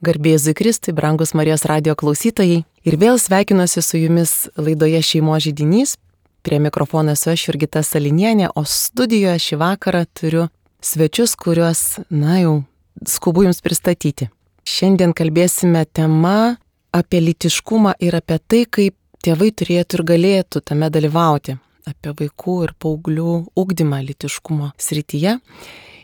Garbė Jėzui Kristui, brangus Marijos radijo klausytojai. Ir vėl sveikinuosi su jumis laidoje Šeimos židinys. Prie mikrofono esu aš, Jurgita Salinienė, o studijoje šį vakarą turiu svečius, kuriuos, jau skubu jums pristatyti. Šiandien kalbėsime tema apie lytiškumą ir apie tai, kaip tėvai turėtų ir galėtų tame dalyvauti. Apie vaikų ir paauglių ugdymą lytiškumo srityje.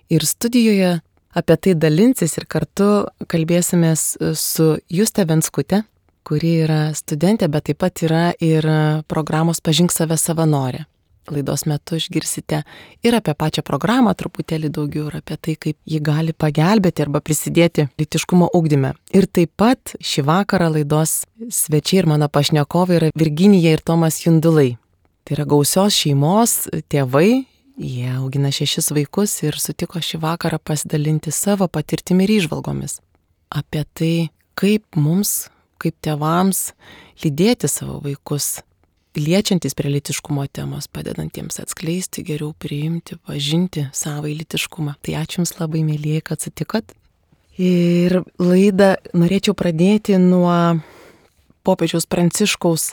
Ir studijoje apie tai dalinsis ir kartu kalbėsimės su Juste Venskute, kuri yra studentė, bet taip pat yra ir programos Pažink save savanorė. Laidos metu išgirsite ir apie pačią programą truputėlį daugiau, ir apie tai, kaip ji gali pagelbėti arba prisidėti lytiškumo ugdyme. Ir taip pat šį vakarą laidos svečiai ir mano pašnekovai yra Virginija ir Tomas Jundulai. Tai yra gausios šeimos tėvai. Jie augina 6 vaikus ir sutiko šį vakarą pasidalinti savo patirtimi ir įžvalgomis apie tai, kaip mums, kaip tėvams, lydėti savo vaikus, liečiantis prie lytiškumo temos, padedantiems atskleisti, geriau priimti, pažinti savo lytiškumą. Tai ačiū Jums labai, mėlyje, kad sutikot. Ir laidą norėčiau pradėti nuo popiežiaus Pranciškaus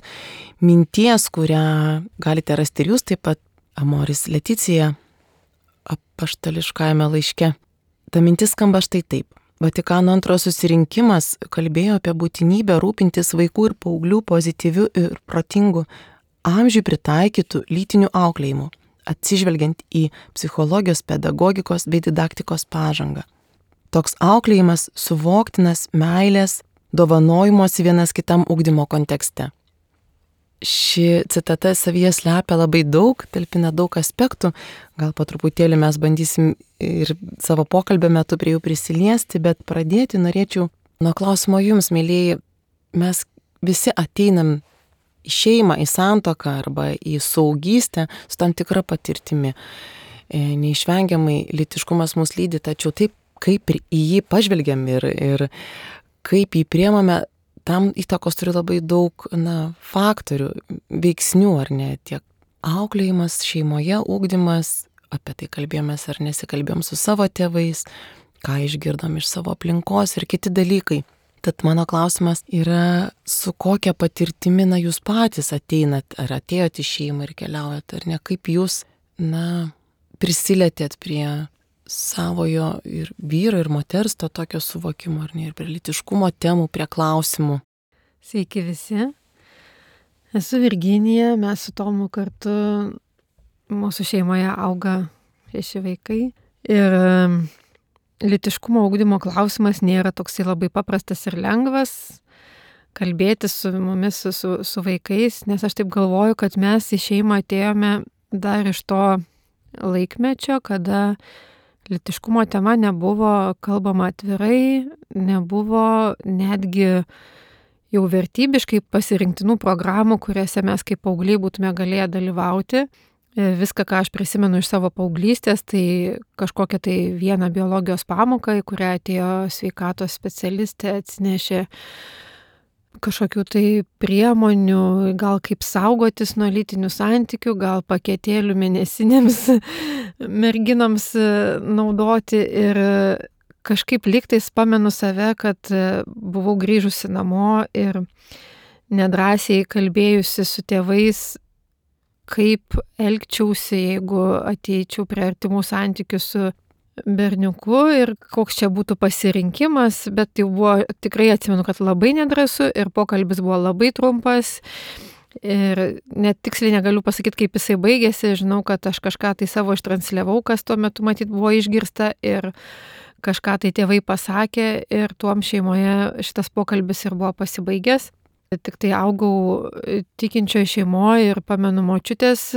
minties, kurią galite rasti ir jūs taip pat Amoris Leticija apaštališkajame laiške. Ta mintis skamba štai taip. Vatikano antrojo susirinkimas kalbėjo apie būtinybę rūpintis vaikų ir paauglių pozityvių ir protingų amžiui pritaikytų lytinių auklėjimų, atsižvelgiant į psichologijos, pedagogikos bei didaktikos pažangą. Toks auklėjimas suvoktinas meilės, dovanojimosi vienas kitam ugdymo kontekste. Ši citata savyje slepia labai daug, talpina daug aspektų, gal po truputėlį mes bandysim ir savo pokalbio metu prie jų prisiliesti, bet pradėti norėčiau nuo klausimo jums, mėlyjei. Mes visi ateinam į šeimą, į santuoką arba į suaugystę su tam tikra patirtimi. Neišvengiamai lytiškumas mus lydi, tačiau taip, kaip ir į jį pažvelgiam ir kaip jį priemame, tam įtakos turi labai daug faktorių, veiksnių, ar ne, tiek auklėjimas šeimoje, ugdymas, apie tai kalbėjomės ar nesikalbėjom su savo tėvais, ką išgirdom iš savo aplinkos ir kiti dalykai. Tad mano klausimas yra, su kokia patirtimi jūs patys ateinat, ar atėjot į šeimą ir keliaujat, ar ne, kaip jūs prisilietėt prie savojo ir vyro ir moters to tokio suvokimo, ar ne, ir prie lytiškumo temų, prie klausimų. Sveiki visi. Esu Virginija, mes su Tomu kartu, mūsų šeimoje auga 6 vaikai. Ir lytiškumo ugdymo klausimas nėra toksai labai paprastas ir lengvas kalbėti su mumis, su vaikais, nes aš taip galvoju, kad mes į šeimą atėjome dar iš to laikmečio, kada lytiškumo tema nebuvo kalbama atvirai, nebuvo netgi jau vertybiškai pasirinktinų programų, kuriuose mes kaip paaugliai būtume galėję dalyvauti. Viską, ką aš prisimenu iš savo paauglystės, tai kažkokią tai vieną biologijos pamoką, į kurią atėjo sveikatos specialistė, atsinešė kažkokių tai priemonių, gal kaip saugotis nuo lytinių santykių, gal paketėlių mėnesinėms merginams naudoti. Ir kažkaip lygtais pamenu save, kad buvau grįžusi namo ir nedrąsiai kalbėjusi su tėvais, kaip elgčiausi, jeigu ateičiau prie artimų santykių su berniuku ir koks čia būtų pasirinkimas, bet jau buvo, tikrai atsimenu, kad labai nedrąsu ir pokalbis buvo labai trumpas ir net tiksliai negaliu pasakyti, kaip jisai baigėsi. Žinau, kad aš kažką tai savo ištransliavau, kas tuo metu matyt buvo išgirsta, ir kažką tai tėvai pasakė ir tuom šeimoje šitas pokalbis ir buvo pasibaigęs. Tik tai augau tikinčioje šeimoje ir pamenu močiutės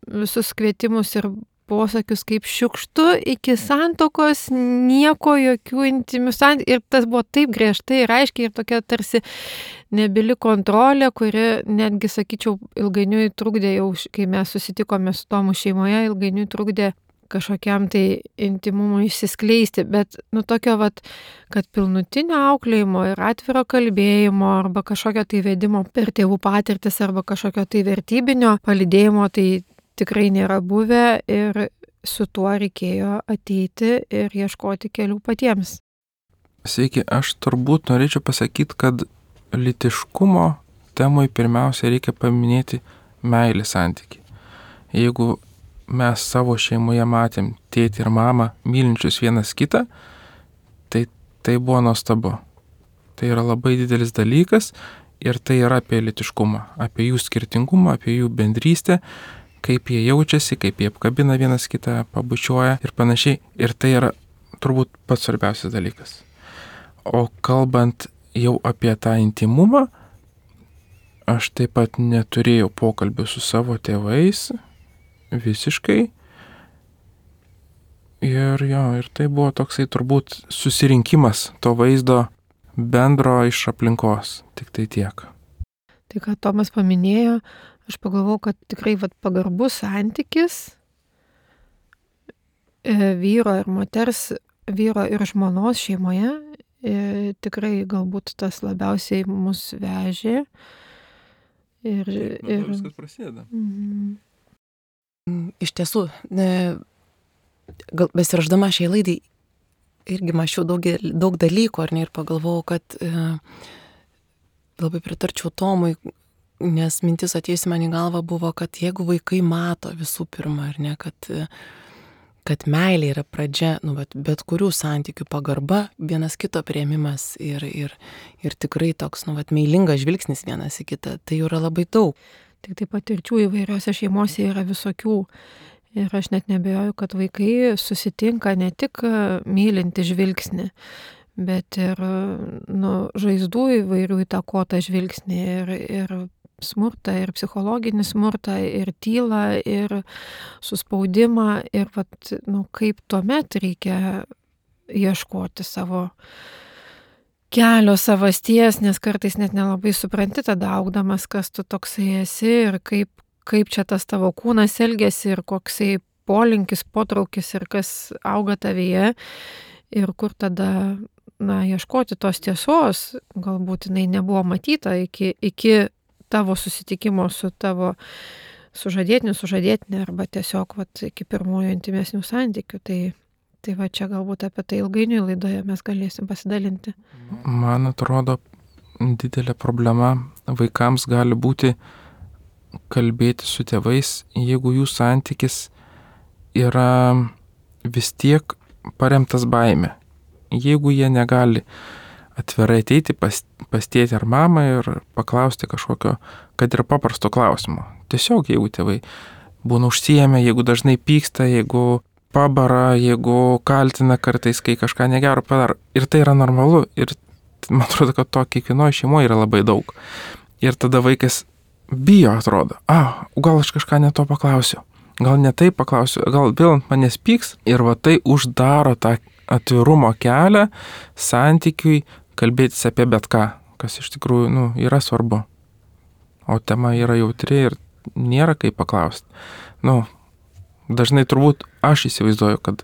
visus kvietimus ir posakius, kaip šiukštu iki santuokos, nieko, jokių intymių santykių. Ir tas buvo taip griežtai ir aiškiai ir tokia tarsi nebili kontrolė, kuri netgi, sakyčiau, ilgainiui trukdė, jau kai mes susitikome su Tomu šeimoje, ilgainiui trukdė kažkokiam tai intimumui išsiskleisti. Bet tokio kad pilnutinio auklėjimo ir atviro kalbėjimo arba kažkokio tai vedimo per tėvų patirtis arba kažkokio tai vertybinio palydėjimo, tai tikrai nėra buvę ir su tuo reikėjo ateiti ir ieškoti kelių patiems. Sveiki, aš turbūt norėčiau pasakyti, kad lytiškumo temai pirmiausia reikia paminėti meilės santykį. Jeigu mes savo šeimoje matėm tėtį ir mamą mylinčius vienas kitą, tai buvo nuostabu. Tai yra labai didelis dalykas ir tai yra apie lytiškumą, apie jų skirtingumą, apie jų bendrystę, kaip jie jaučiasi, kaip jie apkabina vienas kitą, pabučiuoja ir panašiai. Ir tai yra turbūt pats svarbiausias dalykas. O kalbant jau apie tą intimumą, aš taip pat neturėjau pokalbių su savo tėvais visiškai. Ir tai buvo toksai turbūt susirinkimas to vaizdo bendro iš aplinkos, tik tai tiek. Tai, ką Tomas paminėjo, aš pagalvojau, kad tikrai pagarbus santykis vyro ir moters, vyro ir žmonos šeimoje tikrai galbūt tas labiausiai mus vežė. Ir viskas prasideda. Iš tiesų, besirašdama šiai laidai, irgi mačiau daug dalykų, ar ne, ir pagalvojau, kad labai pritarčiau Tomui, nes mintis atėjusi man į galvą buvo, kad jeigu vaikai mato visų pirma, ar ne, kad meilė yra pradžia, bet kurių santykių pagarba, vienas kito priėmimas ir tikrai toks, meilingas žvilgsnis vienas į kitą, tai yra labai daug. Tik taip patirčių įvairiose šeimose yra visokių. Ir aš net nebejoju, kad vaikai susitinka ne tik mylinti žvilgsnį, bet ir žaizdų įvairių įtakotą žvilgsnį ir smurtą, ir psichologinį smurtą, ir tylą, ir suspaudimą. Ir kaip tuomet reikia ieškoti savo kelio, savasties, nes kartais net nelabai supranti tada augdamas, kas tu toksai esi ir kaip čia tas tavo kūnas elgesi ir koksai polinkis, potraukis ir kas auga tavyje ir kur tada, ieškoti tos tiesos, galbūt jinai nebuvo matyta iki tavo susitikimo su tavo sužadėtiniu, sužadėtinė arba tiesiog iki pirmųjų intimesnių santykių. Tai čia galbūt apie tai ilgainiui laidoje mes galėsim pasidalinti. Man atrodo, didelė problema vaikams gali būti kalbėti su tėvais, jeigu jų santykis yra vis tiek paremtas baime. Jeigu jie negali atvirai ateiti pas tėtį ar mamą ir paklausti kažkokio, kad ir paprasto klausimo. Tiesiog jeigu tėvai būna užsiėmę, jeigu dažnai pyksta, jeigu pabara, jeigu kaltina kartais, kai kažką negero padaro. Ir tai yra normalu. Ir man atrodo, kad to kiekvienoje šeimoje yra labai daug. Ir tada vaikas bijo, atrodo. Gal aš kažką ne to paklausiu. Gal ne taip paklausiu. Gal vėl ant manęs pyks. Ir tai uždaro tą atvirumo kelią santykiui kalbėtis apie bet ką, kas iš tikrųjų yra svarbu. O tema yra jautri ir nėra kaip paklausti. Dažnai turbūt aš įsivaizduoju, kad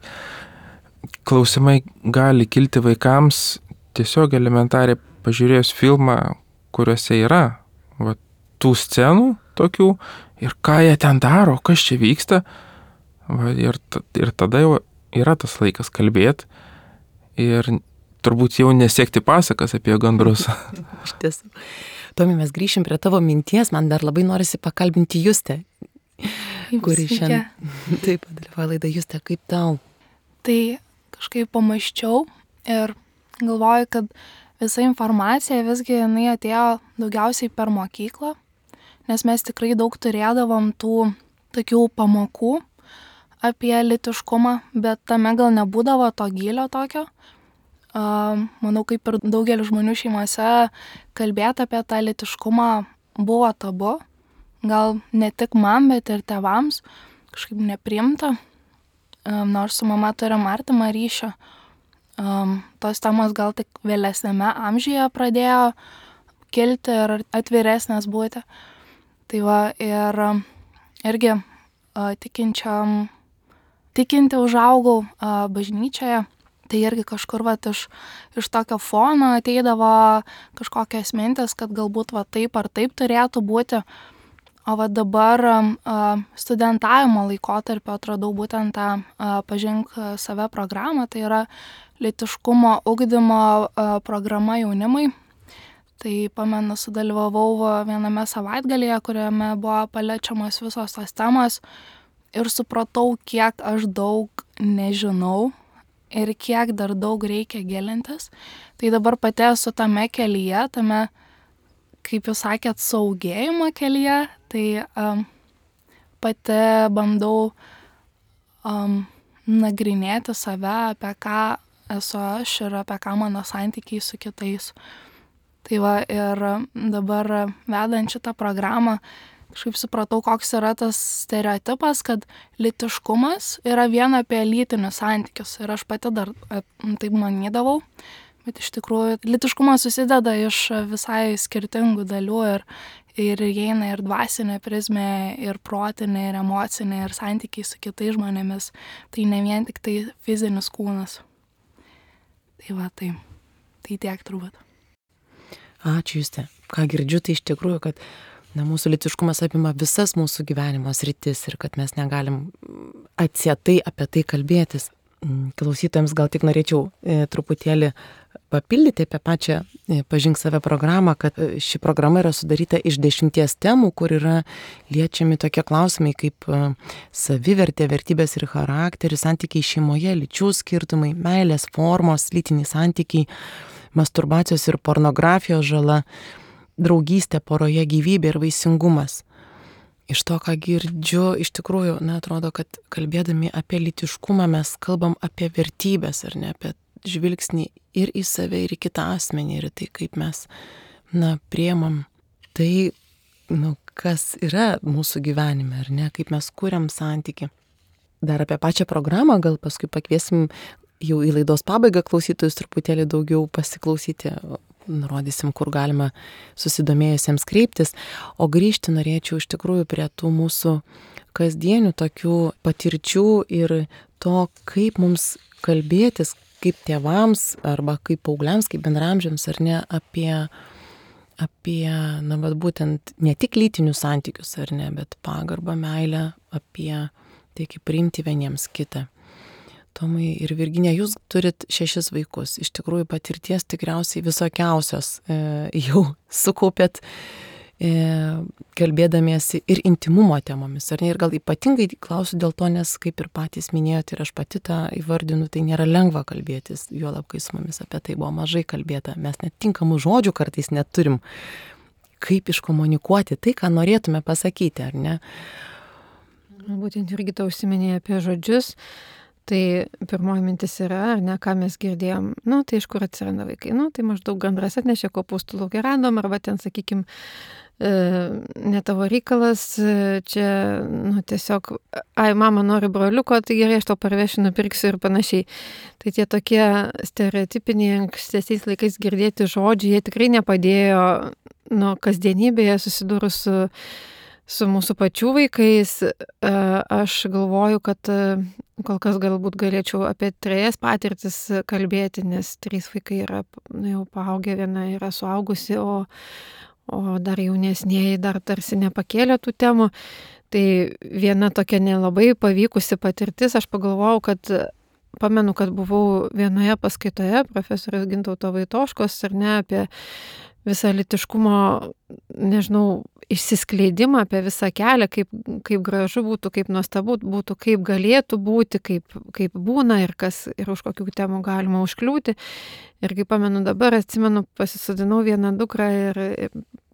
klausimai gali kilti vaikams tiesiog elementariai pažiūrėjus filmą, kuriuose yra tų scenų tokių ir ką jie ten daro, kas čia vyksta. Ir tada jau yra tas laikas kalbėti ir turbūt jau nesiekti pasakas apie gandrus. Iš tiesų. Tomi, mes grįšim prie tavo minties, man dar labai norisi pakalbinti Justę, kuri šiandien taip dalyvauja laidą. Juste, kaip tau? Tai kažkaip pamąsčiau ir galvoju, kad visa informacija visgi jinai atėjo daugiausiai per mokyklą, nes mes tikrai daug turėdavom tų tokių pamokų apie lytiškumą, bet tame gal nebūdavo to gylio tokio. Manau, kaip ir daugelis žmonių šeimose kalbėti apie tą lytiškumą buvo tabu. Gal ne tik man, bet ir tėvams kažkaip nepriimta, nors su mama turim artimą ryšį. Tos temos gal tik vėlesnėme amžiuje pradėjo kilti ir atviresnės būti. Tai ir irgi tikinti užaugau bažnyčioje, tai irgi kažkur iš tokio fono ateidavo kažkokios mintis, kad galbūt taip ar taip turėtų būti. O va dabar studentavimo laikotarpio atradau būtent tą Pažink save programą, tai yra lytiškumo ugdymo programa jaunimui. Tai pamenu, sudalyvavau viename savaitgalyje, kuriame buvo paliečiamos visos tos temos ir supratau, kiek aš daug nežinau ir kiek dar daug reikia gilintis. Tai dabar pati esu tame kelyje, tame, kaip jūs sakėt, saugėjimo kelyje, tai pati bandau nagrinėti save, apie ką esu aš ir apie ką mano santykiai su kitais. Tai va, ir dabar vedant šitą programą, kažkaip supratau, koks yra tas stereotipas, kad lytiškumas yra vien apie lytinius santykius. Ir aš pati dar taip manydavau, bet iš tikrųjų lytiškumas susideda iš visai skirtingų dalių ir įeina ir dvasinė prizmė, ir protinė, ir emocinė, ir santykiai su kitais žmonėmis. Tai ne vien tik tai fizinis kūnas. Tai va, tai tiek turbūt. Ačiū, Juste. Ką girdžiu, tai iš tikrųjų, kad mūsų lytiškumas apima visas mūsų gyvenimo sritis ir kad mes negalim atsietai apie tai kalbėtis. Klausytojams gal tik norėčiau truputėlį papildyti apie pačią Pažink save programą, kad ši programa yra sudaryta iš 10 temų, kur yra liečiami tokie klausimai kaip savivertė, vertybės ir charakteris, santykiai šeimoje, lyčių skirtumai, meilės formos, lytiniai santykiai, masturbacijos ir pornografijos žala, draugystė poroje, gyvybė ir vaisingumas. Iš to, ką girdžiu, iš tikrųjų, atrodo, kad kalbėdami apie lytiškumą mes kalbam apie vertybės, ar ne, apie žvilgsnį ir į save, ir į kitą asmenį, ir tai, kaip mes, priemam tai, kas yra mūsų gyvenime, ar ne, kaip mes kuriam santykį. Dar apie pačią programą, gal paskui pakviesim jau į laidos pabaigą klausytojus truputėlį daugiau pasiklausyti, nurodysim, kur galima susidomėjusiems kreiptis, o grįžti norėčiau iš tikrųjų prie tų mūsų kasdienių tokių patirčių ir to, kaip mums kalbėtis, kaip tėvams arba kaip paaugliams, kaip bendraamžiams, ar ne, apie būtent ne tik lytinius santykius, ar ne, bet pagarbą, meilę, apie tai, kaip priimti vieniems kitą. Tomai ir Virginija, jūs turit 6 vaikus, iš tikrųjų patirties tikriausiai visokiausios jau sukaupėt kalbėdamiesi ir intimumo temomis, ar ne, ir gal ypatingai klausiu dėl to, nes kaip ir patys minėjote ir aš pati tą įvardinu, tai nėra lengva kalbėtis, juolab kai su mumis apie tai buvo mažai kalbėta, mes net tinkamų žodžių kartais neturim, kaip iškomunikuoti tai, ką norėtume pasakyti, ar ne? Būtent Jurgita užsiminė apie žodžius. Tai pirmoji mintis yra, ar ne, ką mes girdėjom, tai iš kur atsiranda vaikai, tai maždaug gandras atnešė kopūstų lauke radom, arba ten, sakykim, ne tavo reikalas, čia, tiesiog, mama nori broliuko, tai gerai, aš tau parvešiu, nupirksiu ir panašiai. Tai tie tokie stereotipiniai ankstesiais laikais girdėti žodžiai, jie tikrai nepadėjo, kasdienybėje susidūrus su mūsų pačių vaikais. Aš galvoju, kad kol kas galbūt galėčiau apie 3 patirtis kalbėti, nes 3 vaikai yra jau paaugę, viena yra suaugusi, o dar jaunesnieji dar tarsi nepakėlė tų temų. Tai viena tokia nelabai pavykusi patirtis, aš pagalvojau, kad pamenu, kad buvau vienoje paskaitoje profesoriaus Gintauto Vaitoškos, ar ne, apie visą lytiškumo, nežinau, išsiskleidimą, apie visą kelią, kaip gražu būtų, kaip nuostabu būtų, kaip galėtų būti, kaip būna ir už kokių temų galima užkliūti. Ir kaip pamenu dabar, atsimenu, pasisodinau vieną dukrą ir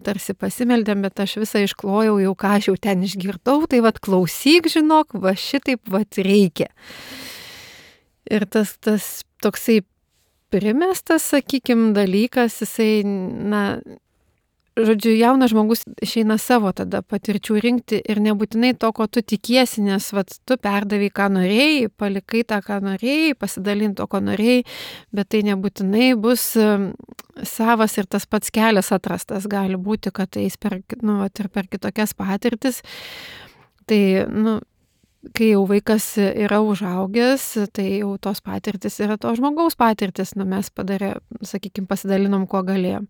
tarsi pasimeldėm, bet aš visą išklojau jau, ką aš jau ten išgirdau, tai klausyk, žinok, šitaip reikia. Ir tas toksai primestas, sakykim, dalykas, jisai, žodžiu, jaunas žmogus išeina savo tada patirčių rinkti ir nebūtinai to, ko tu tikiesi, nes tu perdavai, ką norėjai, palikai tą, ką norėjai, pasidalinti to, ko norėjai, bet tai nebūtinai bus savas ir tas pats kelias atrastas. Gali būti, kad eis ir per kitokias patirtis. Tai, kai jau vaikas yra užaugęs, tai jau tos patirtis yra to žmogaus patirtis, mes pasidalinom, kuo galėjom.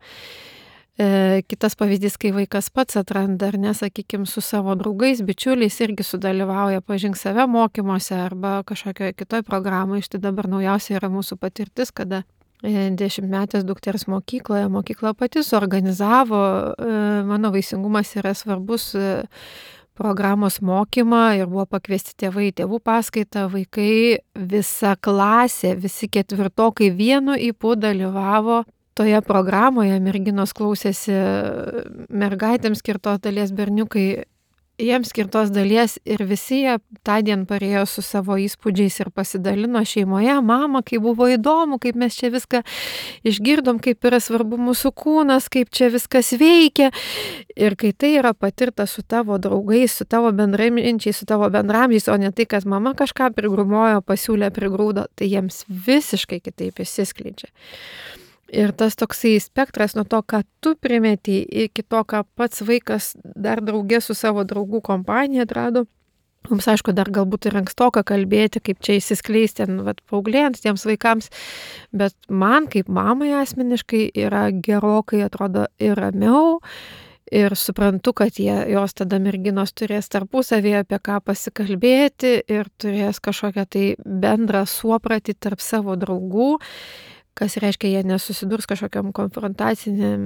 Kitas pavyzdys, kai vaikas pats atranda, ar nesakykime, su savo draugais, bičiuliais irgi sudalyvauja pažink save mokymuose arba kažkokioje kitoje programoje. Štai dabar naujausia yra mūsų patirtis, kada 10-metės dukters mokykla pati suorganizavo, mano vaisingumas yra svarbus, programos mokymą ir buvo pakviesti tėvai į tėvų paskaitą, vaikai, visa klasė, visi ketvirtokai vienu ypu dalyvavo toje programoje, merginos klausėsi mergaitėms skirtos dalies, berniukai jiems skirtos dalies ir visi jie tą dieną parėjo su savo įspūdžiais ir pasidalino šeimoje, mama, kaip buvo įdomu, kaip mes čia viską išgirdom, kaip yra svarbu mūsų kūnas, kaip čia viskas veikia. Ir kai tai yra patirta su tavo draugais, su tavo bendraminčiais, su tavo bendramžiais, o ne tai, kad mama kažką prigrumojo, pasiūlė, prigrūdo, tai jiems visiškai kitaip išsiskleidžia. Ir tas toksai spektras nuo to, ką tu primeti, iki to, ką pats vaikas dar draugė su savo draugų kompanija atrado. Mums, aišku, dar galbūt ir ankstoka kalbėti, kaip čia įsiskleisti paauglėjant tiems vaikams, bet man kaip mamai asmeniškai yra gerokai, atrodo, ir ramiau. Ir suprantu, kad jos tada merginos turės tarpusavėje apie ką pasikalbėti ir turės kažkokią tai bendrą suopratį tarp savo draugų, kas reiškia, jie nesusidurs kažkokiam konfrontaciniam,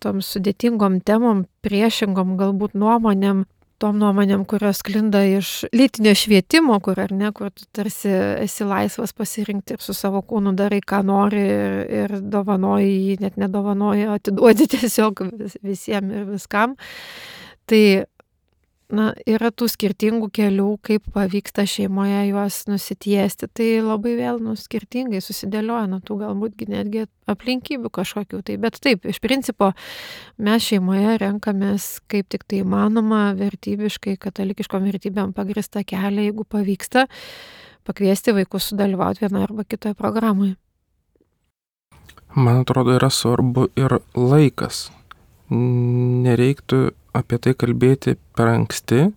tom sudėtingom temom, priešingom galbūt nuomonėm, tom nuomonėm, kurios sklinda iš lytinio švietimo, kur tu tarsi esi laisvas pasirinkti ir su savo kūnu darai, ką nori ir dovanoji jį, net nedovanoji, atiduodi tiesiog visiems ir viskam. Tai yra tų skirtingų kelių, kaip pavyksta šeimoje juos nusitiesti. Tai labai vėl skirtingai susidėlioja nuo tų galbūt netgi aplinkybių kažkokių. Bet taip, iš principo mes šeimoje renkamės kaip tik tai įmanoma vertybiškai, katalikiškom vertybėm pagrįstą kelią, jeigu pavyksta pakviesti vaikus sudalyvauti vienoje arba kitoje programoje. Man atrodo, yra svarbu ir laikas. Nereiktų apie tai kalbėti per anksti,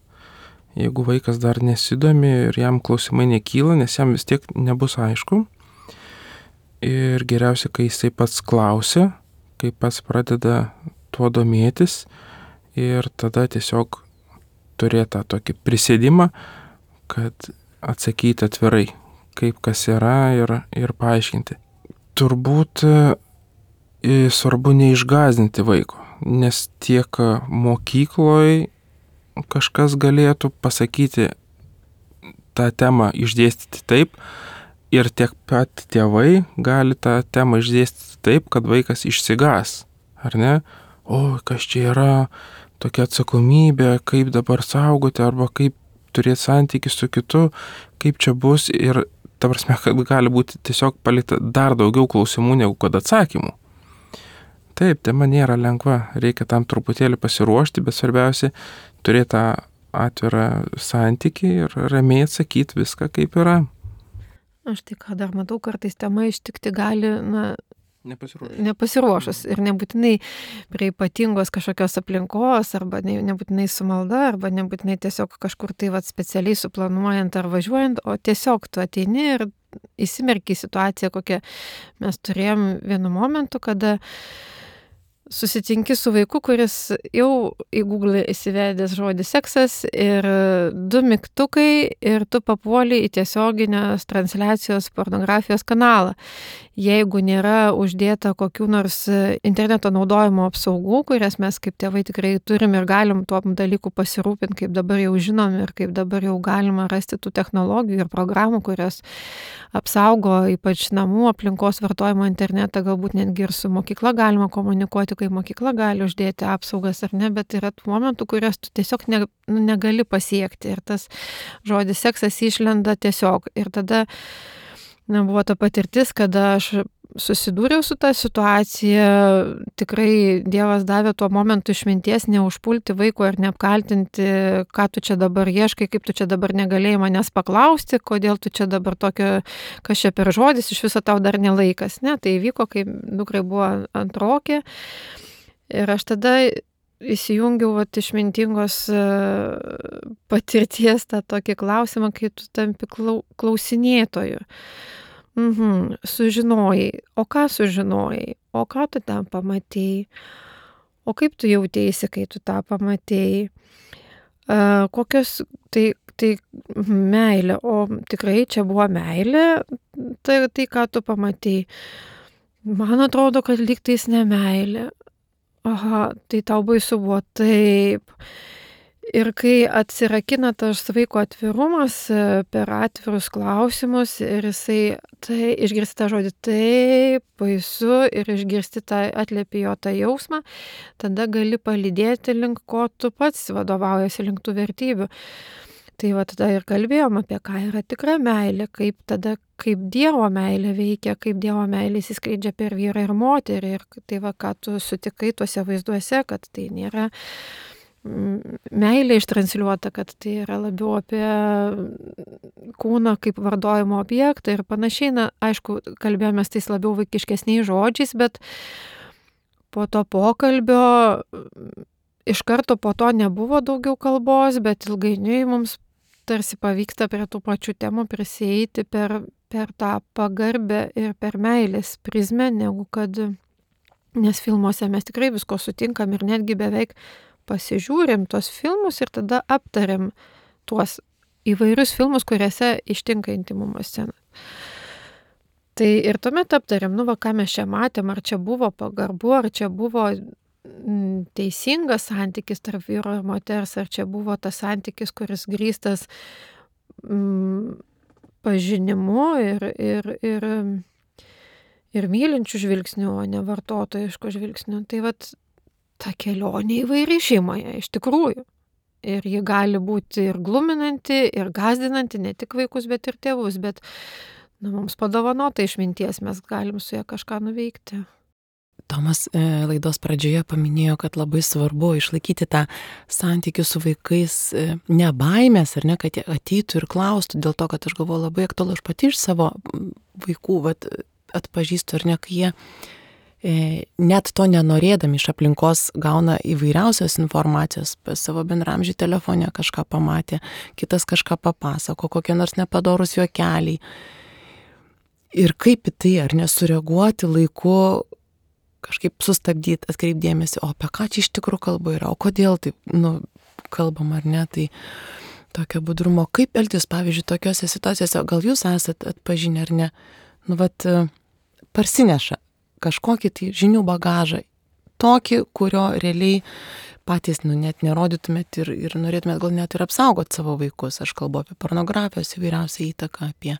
jeigu vaikas dar nesidomi ir jam klausimai nekyla, nes jam vis tiek nebus aišku. Ir geriausia, kai jisai pats klausia, kai pats pradeda tuo domėtis ir tada tiesiog turėti tą tokį prisėdimą, kad atsakyti atvirai, kaip kas yra ir paaiškinti. Turbūt svarbu neišgąsdinti vaiko. Nes tiek mokykloje kažkas galėtų pasakyti tą temą išdėstyti taip ir tiek pat tėvai gali tą temą išdėstyti taip, kad vaikas išsigąs, ar ne? O, kas čia yra, tokia atsakomybė, kaip dabar saugoti arba kaip turėti santykį su kitu, kaip čia bus ir ta prasme, kad gali būti tiesiog palikta dar daugiau klausimų negu kad atsakymų. Taip, tema nėra lengva, reikia tam truputėlį pasiruošti, bet svarbiausia turėti tą atvirą santykį ir ramiai atsakyti viską, kaip yra. Aš tai ką dar matau, kartais tema ištikti gali, nepasiruošus ir nebūtinai prie ypatingos kažkokios aplinkos, arba nebūtinai su malda, arba nebūtinai tiesiog kažkur tai specialiai suplanuojant ar važiuojant, o tiesiog tu ateini ir įsimerki į situaciją, kokią mes turėjom vienu momentu, kada susitinki su vaiku, kuris jau į Google įsivedęs žodį seksas ir 2 mygtukai ir tu papuoli į tiesioginės transliacijos pornografijos kanalą. Jeigu nėra uždėta kokių nors interneto naudojimo apsaugų, kurias mes kaip tėvai tikrai turim ir galim tuo dalyku pasirūpinti, kaip dabar jau žinom ir kaip dabar jau galima rasti tų technologijų ir programų, kurios apsaugo ypač namų aplinkos vartojimo internetą, galbūt netgi ir su mokykla galima komunikuoti, kai mokykla gali uždėti apsaugas ar ne, bet yra tų momentų, kurias tu tiesiog negali pasiekti ir tas žodis seksas išlenda tiesiog. Ir tada buvo ta patirtis, kada aš susidūriau su tą situaciją, tikrai Dievas davė tuo momentu išminties neužpulti vaiko ir neapkaltinti, ką tu čia dabar ieškai, kaip tu čia dabar negalėjai manęs paklausti, kodėl tu čia dabar tokio, kas čia per žodis, iš viso tau dar nelaikas. Ne, tai įvyko, kai dukrai buvo antrokė ir aš tada įsijungiau išmintingos patirties tą tokį klausimą, kai tu tampi klausinėtoju. Sužinojai. O ką sužinojai? O ką tu ten pamatėjai? o kaip tu jautėsi, kai tu tą pamatėjai? Kokios, tai meilė, o tikrai čia buvo meilė, tai ką tu pamatėjai? Man atrodo, kad lygtais ne meilė. Aha, tai tau baisu buvo taip. Ir kai atsirakina tas vaiko atvirumas per atvirus klausimus ir jisai išgirsti tą žodį taip, baisu ir išgirsti tą atliepi jo tą jausmą, tada gali palydėti link ko tu pats vadovaujasi, link tų vertybių. Tai va tada ir kalbėjom apie ką yra tikra meilė, kaip Dievo meilė veikia, kaip Dievo meilė įsiskleidžia per vyrą ir moterį. Ir tai va, ką tu sutikai tuose vaizduose, kad tai nėra meilė ištransliuota, kad tai yra labiau apie kūną kaip vardojimo objektą ir panašiai. Na, aišku, kalbėjomės tais labiau vaikiškesniais žodžiais, bet po to pokalbio iš karto po to nebuvo daugiau kalbos, bet ilgainiui mums tarsi pavyksta prie tų pačių temų prisieiti per tą pagarbę ir per meilės prizmę, negu kad, nes filmuose mes tikrai visko sutinkam ir netgi beveik pasižiūrim tos filmus ir tada aptariam tuos įvairius filmus, kuriuose ištinka intimumo scena. Tai ir tuomet aptariam, ką mes čia matėm, ar čia buvo pagarbu, ar čia buvo teisingas santykis tarp vyro ir moters, ar čia buvo tas santykis, kuris grįstas pažinimu ir mylinčių žvilgsnių, o ne vartotojiškų žvilgsnių. Tai vat ta kelionė įvairi šeimoje, iš tikrųjų. Ir ji gali būti ir gluminanti, ir gąsdinanti, ne tik vaikus, bet ir tėvus. Bet mums padovanota išminties, mes galim su ja kažką nuveikti. Tomas laidos pradžioje paminėjo, kad labai svarbu išlaikyti tą santykių su vaikais, ne baimės, ar ne, kad jie ateitų ir klaustų, dėl to, kad aš galvoju labai aktualu, aš pati iš savo vaikų atpažįstu, ar ne, kai jie net to nenorėdami iš aplinkos gauna įvairiausios informacijos, savo bendramžį telefone kažką pamatė, kitas kažką papasako, kokie nors nepadorus juokeliai. Ir kaip į tai, ar nesureaguoti laiku, kažkaip sustabdyti, atkreipdėmėsi, o apie ką čia iš tikrųjų kalba yra, o kodėl taip, kalbam ar ne, tai tokio budrumo, kaip elgtis, pavyzdžiui, tokiose situacijose, gal jūs esat atpažinę ar ne, parsineša kažkokį tai žinių bagažą, tokį, kurio realiai patys, net nerodytumėt ir norėtumėt gal net ir apsaugot savo vaikus, aš kalbu apie pornografijos įvairiausią įtaką, apie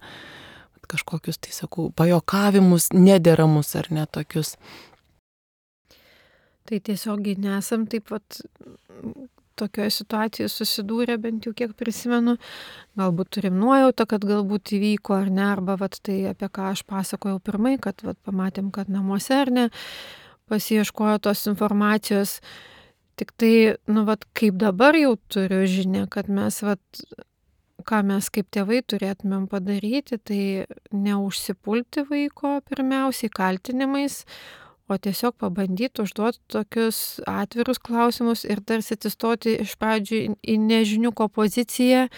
kažkokius, tai sakau, pajokavimus, nederamus ar ne tokius. Tai tiesiogiai nesam taip pat tokioje situacijoje susidūrė, bent jau kiek prisimenu. Galbūt turim nuojautą, kad galbūt įvyko ar ne, arba tai apie ką aš pasakojau pirmai, kad pamatėm, kad namuose ar ne, pasiieškojo tos informacijos. Tik tai, kaip dabar jau turiu žinią, kad mes, ką mes kaip tėvai turėtumėm padaryti, tai neužsipulti vaiko pirmiausiai kaltinimais, o tiesiog pabandyti užduoti tokius atvirus klausimus ir tarsi atsistoti iš pradžių į nežiniuko poziciją,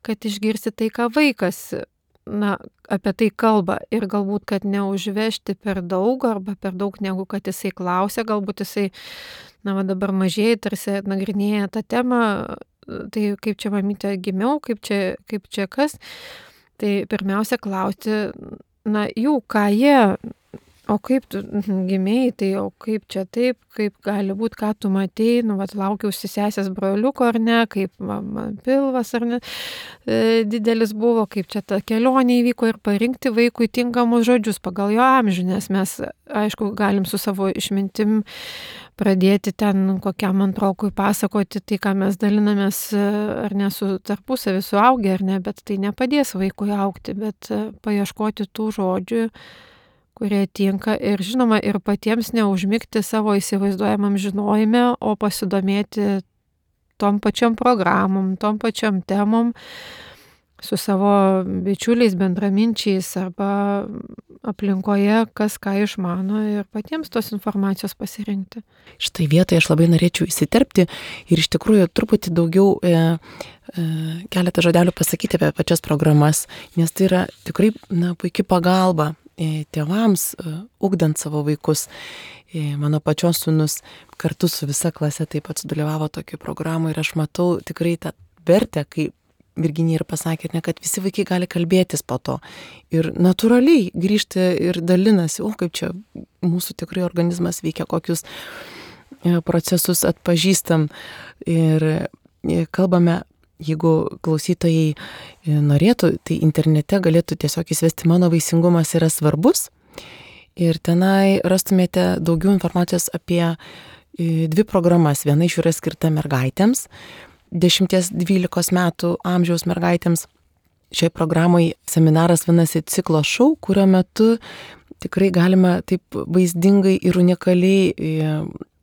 kad išgirsti tai, ką vaikas apie tai kalba ir galbūt, kad neužvežti per daug arba per daug, negu kad jisai klausia, galbūt jisai, dabar mažieji tarsi nagrinėja tą temą, tai kaip čia mamytė gimiau, kaip čia kas, tai pirmiausia klausti, jų, ką jie, o kaip tu gimėjai, tai o kaip čia taip, kaip gali būti, ką tu matei, laukiausi sesės broliuko ar ne, kaip man pilvas ar ne, didelis buvo, kaip čia ta kelionė įvyko ir parinkti vaikui tinkamus žodžius pagal jo amžių, nes mes, aišku, galim su savo išmintim pradėti ten kokiam antrokui pasakoti tai, ką mes dalinamės ar ne su tarpusavį suaugę ar ne, bet tai nepadės vaikui augti, bet paieškoti tų žodžių, kurie tinka ir žinoma ir patiems neužmigti savo įsivaizduojamam žinojime, o pasidomėti tom pačiom programom, tom pačiom temom su savo bičiuliais, bendraminčiais arba aplinkoje, kas ką išmano ir patiems tos informacijos pasirinkti. Štai vietoje aš labai norėčiau įsiterpti ir iš tikrųjų truputį daugiau keletą žodelių pasakyti apie pačias programas, nes tai yra tikrai puikia pagalba tėvams, ugdant savo vaikus. Mano pačios sūnus kartu su visa klase taip pat sudalyvavo tokio programų ir aš matau tikrai tą vertę, kai Virginija ir pasakė, kad visi vaikai gali kalbėtis po to. Ir natūraliai grįžti ir dalinasi, kaip čia mūsų tikrai organizmas veikia, kokius procesus atpažįstam. Ir kalbame, jeigu klausytojai norėtų, tai internete galėtų tiesiog įsivesti Mano vaisingumas yra svarbus. Ir tenai rastumėte daugiau informacijos apie 2 programas. Viena iš jų yra skirta mergaitėms, 10-12 metų amžiaus mergaitėms. Šioje programoje seminaras vadinasi Ciklo šou, kurio metu tikrai galima taip vaizdingai ir unikaliai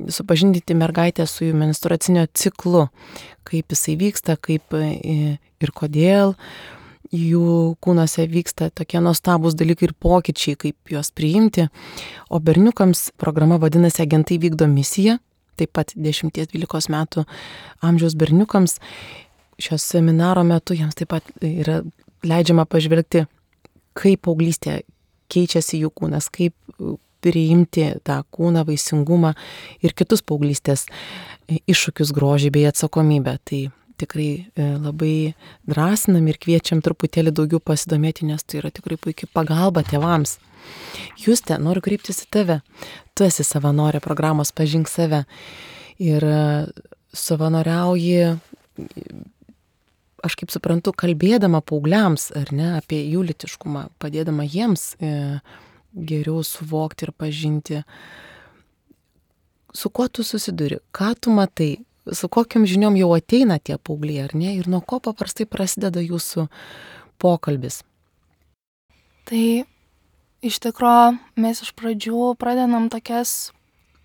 supažindinti mergaitę su jų menstruacinio ciklu, kaip jisai vyksta, kaip ir kodėl jų kūnuose vyksta tokie nuostabūs dalykai ir pokyčiai, kaip juos priimti. O berniukams programa vadinasi Agentai vykdo misiją, taip pat 10-12 metų amžiaus berniukams. Šios seminaro metu jiems taip pat yra leidžiama pažvelgti, kaip paauglystė keičiasi jų kūnas, kaip priimti tą kūną, vaisingumą ir kitus paauglystės iššūkius, grožį bei atsakomybę. Tai tikrai labai drąsinam ir kviečiam truputėlį daugiau pasidomėti, nes tai yra tikrai puikia pagalba tėvams. Juste, noriu kreiptis į tave. Tu esi savanorė programos Pažink save ir savanoriauji, aš kaip suprantu, kalbėdama paaugliams, ar ne, apie jų lytiškumą, padėdama jiems geriau suvokti ir pažinti. Su kuo tu susiduri? Ką tu matai? Su kokiam žiniom jau ateina tie paaugliai, ar ne? Ir nuo ko paprastai prasideda jūsų pokalbis? Tai iš tikrųjų mes iš pradžių pradedam tokias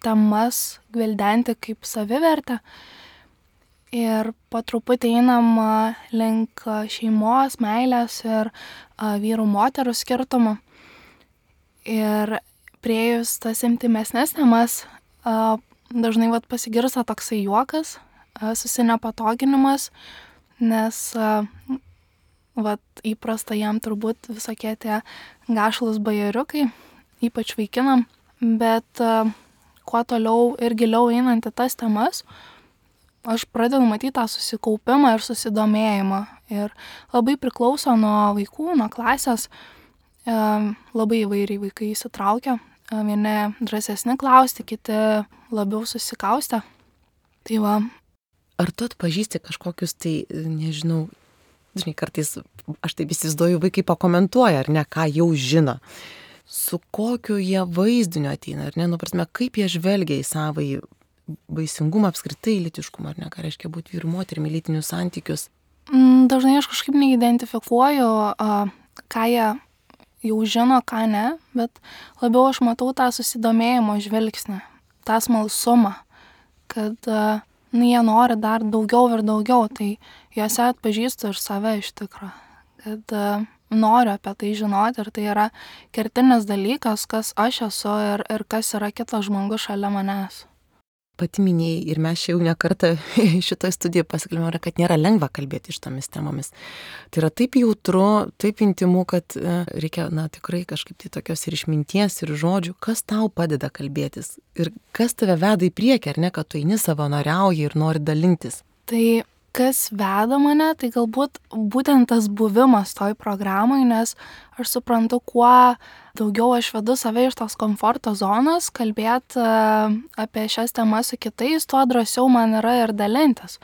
temas gvildenti kaip savivertę ir po truputį einam link šeimos, meilės ir vyrų moterų skirtumų. Ir priėjus tas intimesnės temas, dažnai pasigirsta toksai juokas, susinepatoginimas, nes įprasta jam turbūt visokie tie gašlus bajeriukai, ypač vaikinam, bet kuo toliau ir giliau einant į tas temas, aš pradedu matyti tą susikaupimą ir susidomėjimą. Ir labai priklauso nuo vaikų, nuo klasės, labai įvairiai vaikai įsitraukia. Vieni drąsesni klausti, kiti labiau susikaustę. Tai va. Ar tu atpažįsti kažkokius tai, nežinau, žinai, kartais aš taip įsivaizduoju, vaikai pakomentuoja, ar ne, ką jau žino. Su kokiu jie vaizdiniu ateina, ar ne, prasme, kaip jie žvelgia į savąjį vaisingumą, apskritai lytiškumą, ar ne, ką reiškia būti vyrų moterimi, lytinius santykius. Dažnai aš kažkaip neidentifikuoju, ką jie jau žino, ką ne, bet labiau aš matau tą susidomėjimo žvilgsnį, tą smalsumą, kad jie nori dar daugiau ir daugiau, tai juose atpažįstu ir save iš tikrųjų, kad noriu apie tai žinoti ir tai yra kertinis dalykas, kas aš esu ir kas yra kitas žmogus šalia manęs. Pati minėjai ir mes čia jau ne kartą šitoje studijoje pasikalbėjome, kad nėra lengva kalbėti šitomis temomis. Tai yra taip jautru, taip intimu, kad reikia, tikrai kažkaip tai tokios ir išminties, ir žodžių, kas tau padeda kalbėtis ir kas tave veda į priekį, ar ne, kad tu eini savanoriauji ir nori dalintis. Tai kas veda mane, tai galbūt būtent tas buvimas toj programai, nes aš suprantu, kuo daugiau aš vedu save iš tos komforto zonos, kalbėti apie šias temas su kitais, tuo drąsiau man yra ir dalintis.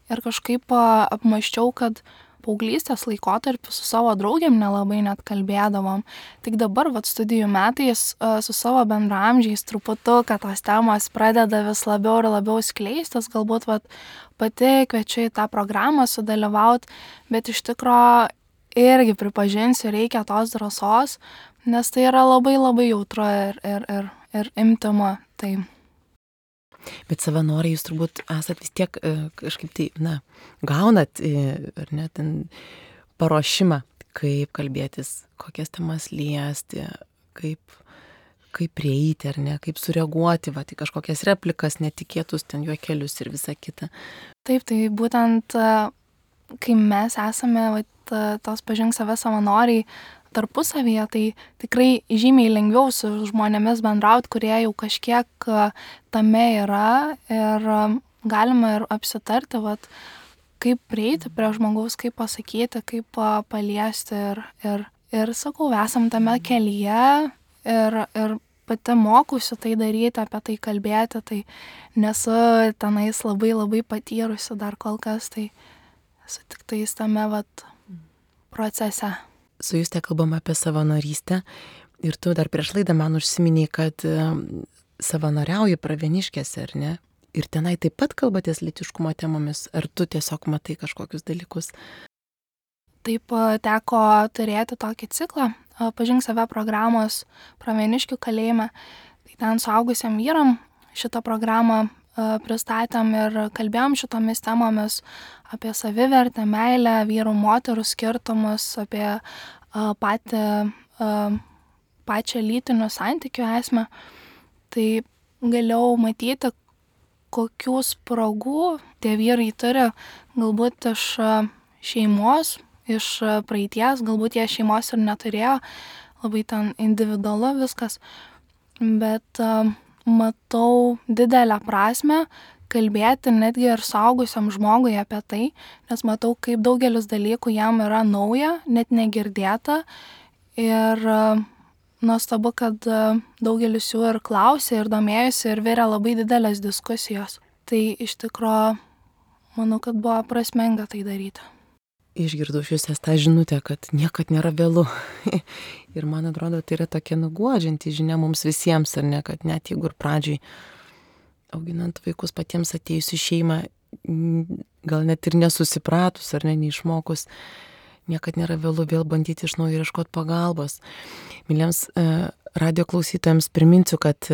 Ir kažkaip apmąsčiau, kad paauglystės laikotarpį su savo draugėm nelabai net kalbėdavom. Tik dabar, studijų metais, su savo bendraamžiais truputuką tos temos pradeda vis labiau ir labiau skleistis. Galbūt pati kviečiu į tą programą sudalyvauti, bet iš tikro irgi pripažinsiu, reikia tos drąsos, nes tai yra labai labai jautru ir intymu. Tai. Bet savanoriai jūs turbūt esat vis tiek kažkaip tai, gaunat, ar ne, ten paruošimą, kaip kalbėtis, kokias temas liesti, kaip prieiti, ar ne, kaip sureaguoti, tai kažkokias replikas, netikėtus ten juokelius ir visa kita. Taip, tai būtent, kai mes esame tos Pažink save savanoriai, tarpusavyje, tai tikrai žymiai lengviau su žmonėmis bendrauti, kurie jau kažkiek tame yra ir galima ir apsitarti, vat, kaip prieiti prie žmogaus, kaip pasakyti, kaip paliesti ir sakau, esam tame kelyje ir pati mokusi tai daryti, apie tai kalbėti, tai nesu tenais labai patyrusi dar kol kas, tai esu tik tais tame procese. Su Juste kalbam apie savanorystę ir tu dar prieš laidą man užsiminiai, kad savanoriauji Pravieniškėse, ar ne? Ir tenai taip pat kalbatės lytiškumo temomis, ar tu tiesiog matai kažkokius dalykus? Taip teko turėti tokį ciklą, Pažink save programos Pravieniškių kalėjime. Tai ten suaugusiam vyram šitą programą pristatėm ir kalbėjom šitomis temomis apie savivertę, meilę, vyrų, moterų skirtumus, apie pačią lytinių santykių esmę. Tai galėjau matyti, kokių spragų tie vyrai turi, galbūt iš šeimos, iš praeities, galbūt jie šeimos ir neturėjo, labai ten individualu viskas, bet matau didelę prasmę kalbėti netgi ir suaugusiam žmogui apie tai, nes matau, kaip daugelis dalykų jam yra nauja, net negirdėta ir nuostabu, kad daugelis jų ir klausė, ir domėjosi, ir vėrė labai didelės diskusijos. Tai iš tikro, manau, kad buvo prasminga tai daryti. Išgirdau šiuose tą žinutę, kad niekad nėra vėlu. Ir man atrodo, tai yra tokia nuguodžianti žinia mums visiems, ar ne, kad net jeigu ir pradžiai auginant vaikus patiems atėjus į šeimą, gal net ir nesusipratus, ar ne, neišmokus, niekad nėra vėlu vėl bandyti iš naujo ieškoti pagalbos. Myliems radio klausytojams priminsiu, kad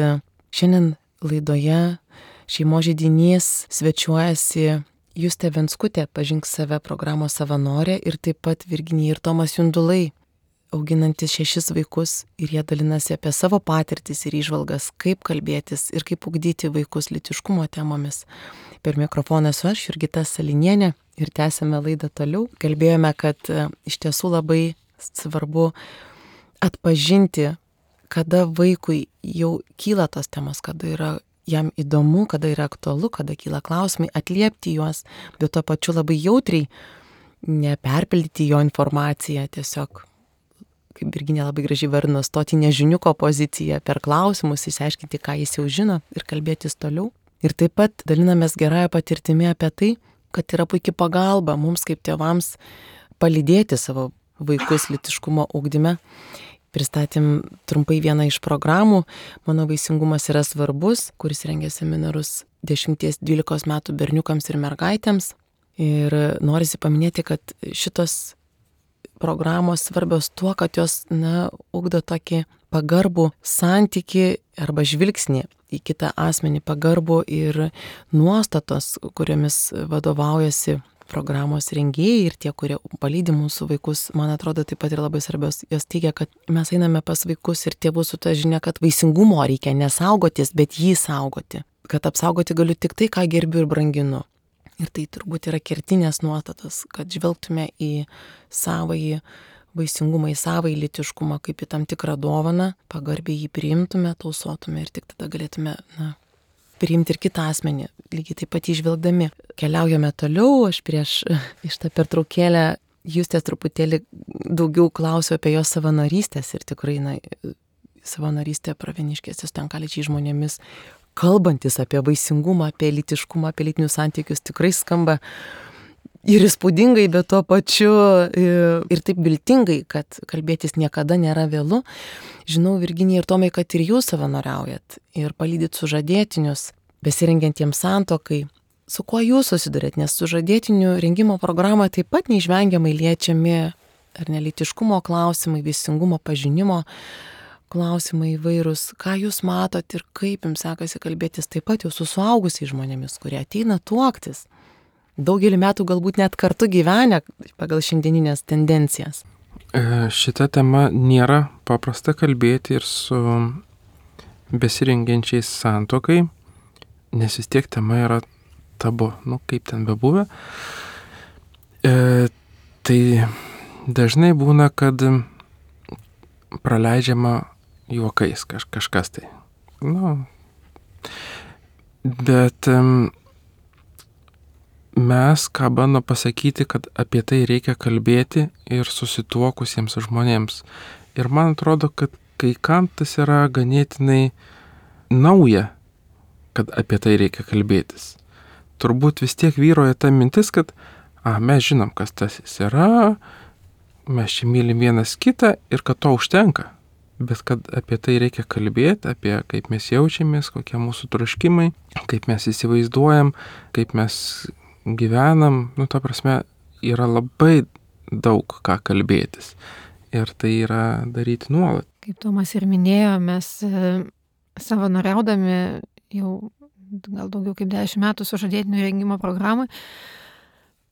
šiandien laidoje Šeimos židinys svečiuojasi Justė Venskutė, Pažink save programos savanorė, ir taip pat Virginija ir Tomas Jundulai, auginantis 6 vaikus, ir jie dalinasi apie savo patirtis ir įžvalgas, kaip kalbėtis ir kaip ugdyti vaikus lytiškumo temomis. Per mikrofoną esu aš, Jurgita Salinienė, ir tęsėme laidą toliau. Kalbėjome, kad iš tiesų labai svarbu atpažinti, kada vaikui jau kyla tos temos, kada yra jam įdomu, kada yra aktualu, kada kyla klausimai, atliepti juos, bet tuo pačiu labai jautriai neperpildyti jo informaciją, tiesiog, kaip Virginija labai gražiai vardino, stoti nežiniuko poziciją per klausimus, išsiaiškinti, ką jis jau žino ir kalbėtis toliau. Ir taip pat dalinamės gerąją patirtimį apie tai, kad yra puikia pagalba mums kaip tėvams palydėti savo vaikus lytiškumo ugdyme. Pristatėm trumpai vieną iš programų, Mano vaisingumas yra svarbus, kuris rengia seminarus 10-12 metų berniukams ir mergaitėms. Ir norisi paminėti, kad šitos programos svarbios tuo, kad jos ugdo tokį pagarbų santykį arba žvilgsnį į kitą asmenį, pagarbų ir nuostatos, kuriomis vadovaujasi programos rengėjai ir tie, kurie palydi mūsų vaikus, man atrodo, taip pat ir labai svarbios. Jos teigia, kad mes einame pas vaikus ir tėvus su ta žinia, kad vaisingumo reikia nesaugotis, bet jį saugoti. Kad apsaugoti galiu tik tai, ką gerbiu ir branginu. Ir tai turbūt yra kertinės nuostatos, kad žvelgtume į savąjį vaisingumą, į savąjį lytiškumą kaip į tam tikrą dovaną, pagarbiai jį priimtume, tausotume ir tik tada galėtume priimti ir kitą asmenį, lygiai taip pat įžvelgdami. Keliaujame toliau, aš prieš šitą pertraukėlę Justės truputėlį daugiau klausiu apie jos savanorystės ir tikrai, savanorystė Pravieniškėse su tenkalinčiais žmonėmis, kalbantis apie vaisingumą, apie lytiškumą, apie lytinius santykius, tikrai skamba ir įspūdingai, bet tuo pačiu ir taip viltingai, kad kalbėtis niekada nėra vėlu. Žinau, Virginija ir Tomai, kad ir jūs savanoriaujat ir palydit sužadėtinius, besirengiantiems santuokai. Su kuo jūs susidurėt, nes sužadėtinių rengimo programoje taip pat neišvengiamai liečiami ar nelytiškumo klausimai, vaisingumo pažinimo klausimai įvairūs. Ką jūs matot ir kaip jums sekasi kalbėtis taip pat jau su suaugusiais žmonėmis, kurie ateina tuoktis. Daugelį metų galbūt net kartu gyvenę pagal šiandieninės tendencijas. Šita tema nėra paprasta kalbėti ir su besirengiančiais santuokai, nes vis tiek tema yra tabu, kaip ten bebuvę. Tai dažnai būna, kad praleidžiama juokais kažkas tai. Bet mes ką bandom pasakyti, kad apie tai reikia kalbėti ir susituokusiems žmonėms. Ir man atrodo, kad kai kam tas yra ganėtinai nauja, kad apie tai reikia kalbėtis. Turbūt vis tiek vyroja ta mintis, kad mes žinom, kas tas jis yra, mes čia mylim vienas kitą ir kad to užtenka. Bet kad apie tai reikia kalbėti, apie kaip mes jaučiamės, kokie mūsų troškimai, kaip mes įsivaizduojam, kaip mes gyvenam, ta prasme, yra labai daug ką kalbėtis. Ir tai yra daryti nuolat. Kaip Tomas ir minėjo, mes savanoriaudami jau gal daugiau kaip 10 metų sužadėtinių rengimo programai,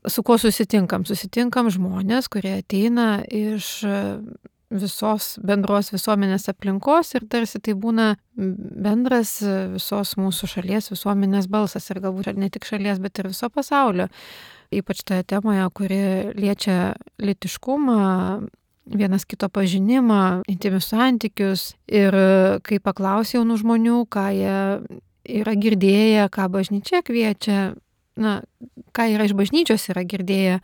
su kuo susitinkam? Susitinkam žmonės, kurie ateina iš visos bendros visuomenės aplinkos ir tarsi tai būna bendras visos mūsų šalies visuomenės balsas ir galbūt ne tik šalies, bet ir viso pasaulio. Ypač toje temoje, kuri liečia lytiškumą, vienas kito pažinimą, intymius santykius ir kai paklausia jaunų žmonių, ką jie yra girdėję, ką bažnyčia kviečia, ką yra iš bažnyčios yra girdėję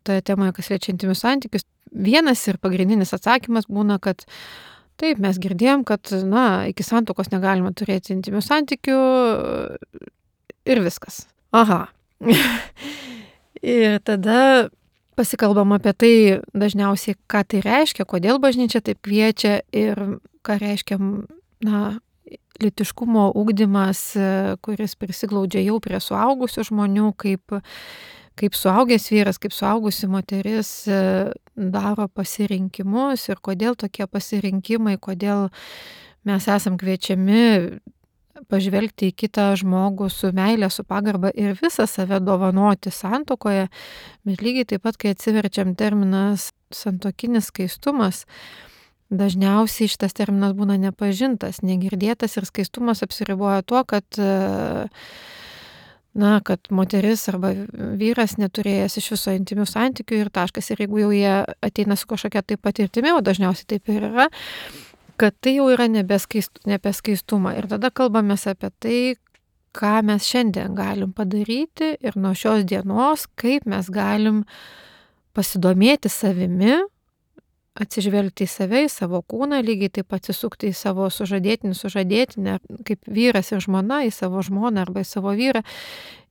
toje temoje, kas liečia intymius santykius. Vienas ir pagrindinis atsakymas būna, kad taip, mes girdėjom, kad iki santuokos negalima turėti intymių santykių ir viskas. Aha. Ir tada pasikalbam apie tai dažniausiai, ką tai reiškia, kodėl bažnyčia taip kviečia ir ką reiškia, lytiškumo ugdymas, kuris prisiglaudžia jau prie suaugusių žmonių, kaip suaugęs vyras, kaip suaugusi moteris daro pasirinkimus ir kodėl tokie pasirinkimai, kodėl mes esam kviečiami pažvelgti į kitą žmogų su meile, su pagarba ir visą save dovanoti santuokoje, bet lygiai taip pat, kai atsiverčiam terminas santuokinis skaistumas, dažniausiai šitas terminas būna nepažintas, negirdėtas ir skaistumas apsiriboja tuo, kad moteris arba vyras neturėjęs iš viso intymių santykių ir taškas. Ir jeigu jau jie ateina su kažkokia taip patirtimi, o dažniausiai taip ir yra, kad tai jau yra nebe skaistumą. Ir tada kalbamės apie tai, ką mes šiandien galim padaryti ir nuo šios dienos, kaip mes galim pasidomėti savimi, atsižvelgti į save, į savo kūną, lygiai taip atsisukti į savo sužadėtinę, kaip vyras ir žmona, į savo žmoną arba į savo vyrą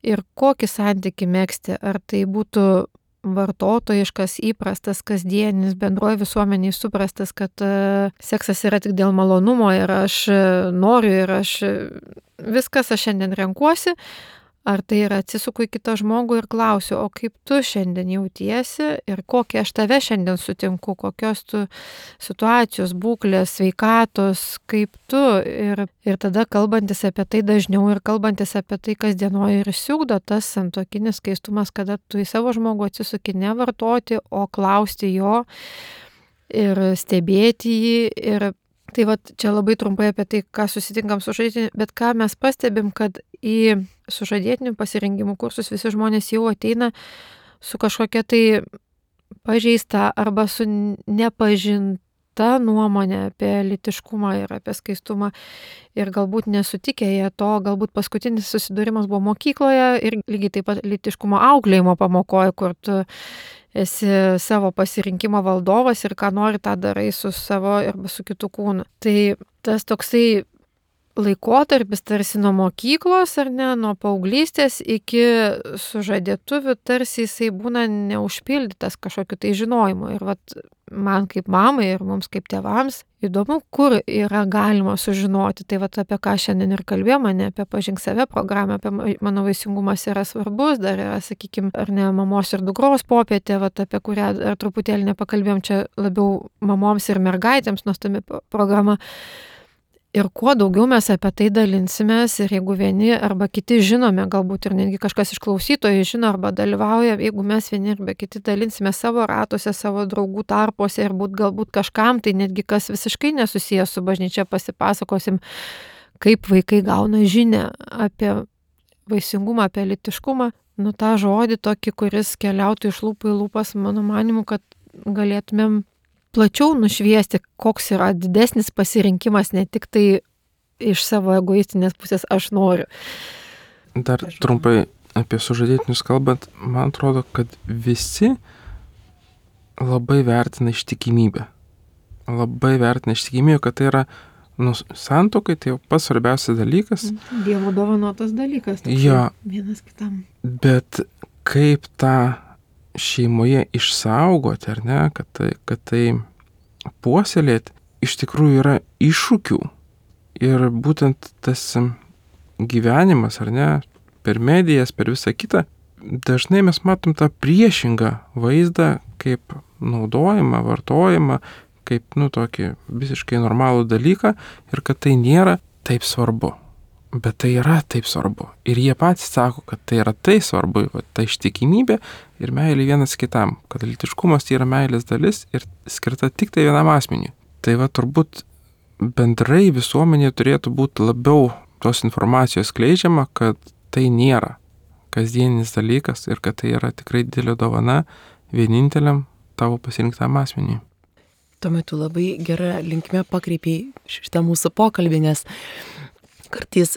ir kokį santykį megzti, ar tai būtų vartotojiškas, įprastas, kasdienis, bendroje visuomenėje suprastas, kad seksas yra tik dėl malonumo ir aš noriu ir viskas aš šiandien renkuosi, ar tai yra atsisuku į kitą žmogų ir klausiu, o kaip tu šiandien jautiesi ir kokią aš tave šiandien sutinku, kokios tu situacijos, būklės, sveikatos, kaip tu. Ir tada kalbantis apie tai dažniau ir kalbantis apie tai kasdienoje ir išsiugdo tas santuokinis skaistumas, kada tu į savo žmogų atsisuki ne vartoti, o klausti jo ir stebėti jį. Ir tai čia labai trumpai apie tai, ką susitinkam sužadėtiniu, bet ką mes pastebim, kad į sužadėtinių pasirengimų kursus visi žmonės jau ateina su kažkokia tai pažeista arba su nepažinta nuomonė apie lytiškumą ir apie skaistumą ir galbūt nesutikę jie to, galbūt paskutinis susidūrimas buvo mokykloje ir lygiai taip pat lytiškumo auklėjimo pamokoje, kur tu esi savo pasirinkimo valdovas ir ką nori, tą darai su savo arba su kitu kūnu. Tai tas toksai laikotarpis tarsi nuo mokyklos ar ne, nuo paauglystės iki sužadėtuvių tarsi jisai būna neužpildytas kažkokiu tai žinojimu. Ir man kaip mamai ir mums kaip tėvams įdomu, kur yra galima sužinoti. Tai apie ką šiandien ir kalbėjome, ne apie pažink save programą, apie mano vaisingumas yra svarbus, dar yra, sakykime, ar ne mamos ir dukros popietė, apie kurią ar truputėlį nepakalbėjom, čia labiau mamoms ir mergaitėms nuostabi programa. Ir kuo daugiau mes apie tai dalinsimės ir jeigu vieni arba kiti žinome, galbūt ir netgi kažkas iš klausytojų žino arba dalyvauja, jeigu mes vieni arba kiti dalinsime savo ratuose, savo draugų tarpuose ir galbūt kažkam, tai netgi kas visiškai nesusijęs su bažnyčia pasipasakosim, kaip vaikai gauna žinią apie vaisingumą, apie lytiškumą, tą žodį tokį, kuris keliautų iš lūpų į lūpas, mano manimu, kad galėtumėm plačiau nušviesti, koks yra didesnis pasirinkimas, ne tik tai iš savo egoistinės pusės aš noriu. Dar trumpai apie sužadėtinius kalbant, man atrodo, kad visi labai vertina ištikimybę. Labai vertina ištikimybę, kad tai yra santuokai, tai jau pats svarbiausias dalykas. Dievo dovanotas dalykas. Jo. Vienas kitam. Bet kaip tą šeimoje išsaugoti, ar ne, kad tai puoselėti, iš tikrųjų yra iššūkių. Ir būtent tas gyvenimas, ar ne, per medijas, per visą kitą, dažnai mes matom tą priešingą vaizdą, kaip naudojimą, vartojimą, kaip, tokį visiškai normalų dalyką ir kad tai nėra taip svarbu. Bet tai yra taip svarbu. Ir jie patys sako, kad tai yra tai svarbu, ta ištikimybė ir meilė vienas kitam. Kad lytiškumas tai yra meilės dalis ir skirta tik tai vienam asmeniui. Tai turbūt bendrai visuomenė turėtų būti labiau tos informacijos skleidžiama, kad tai nėra kasdieninis dalykas ir kad tai yra tikrai didelė dovana vieninteliam tavo pasirinktam asmeniui. Tuo metu labai gerą linkmę pakreipiai šitą mūsų pokalbį, nes kartais,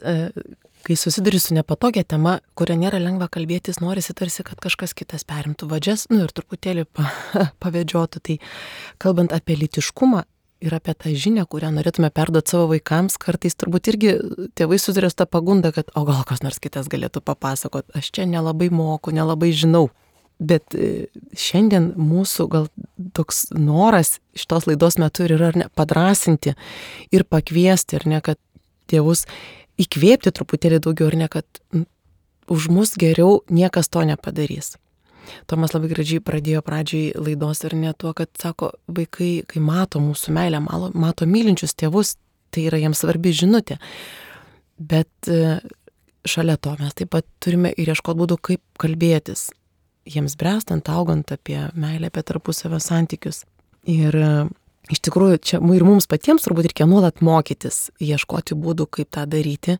kai susiduri su nepatogia tema, kuria nėra lengva kalbėtis, norisi tarsi, kad kažkas kitas perimtų vadžias, ir truputėlį pavedžiotų. Tai kalbant apie lytiškumą ir apie tą žinią, kurią norėtume perduoti savo vaikams, kartais turbūt irgi tėvai susiduria su tą pagundą, kad o gal kas nors kitas galėtų papasakoti, aš čia nelabai moku, nelabai žinau. Bet šiandien mūsų gal toks noras šitos laidos metu yra padrasinti ir pakviesti, ar ne, kad tėvus įkvėpti truputėlį daugiau, ar ne, kad už mus geriau niekas to nepadarys. Tomas labai gražiai pradėjo pradžiai laidos ir ne tuo, kad sako, vaikai, kai mato mūsų meilę, mato mylinčius tėvus, tai yra jiems svarbi žinutė. Bet šalia to mes taip pat turime ir ieškoti būdų, kaip kalbėtis. Jiems bręstant, augant apie meilę, apie tarpusavio santykius. Ir iš tikrųjų, čia ir mums patiems turbūt reikia nuolat mokytis, ieškoti būdų, kaip tą daryti,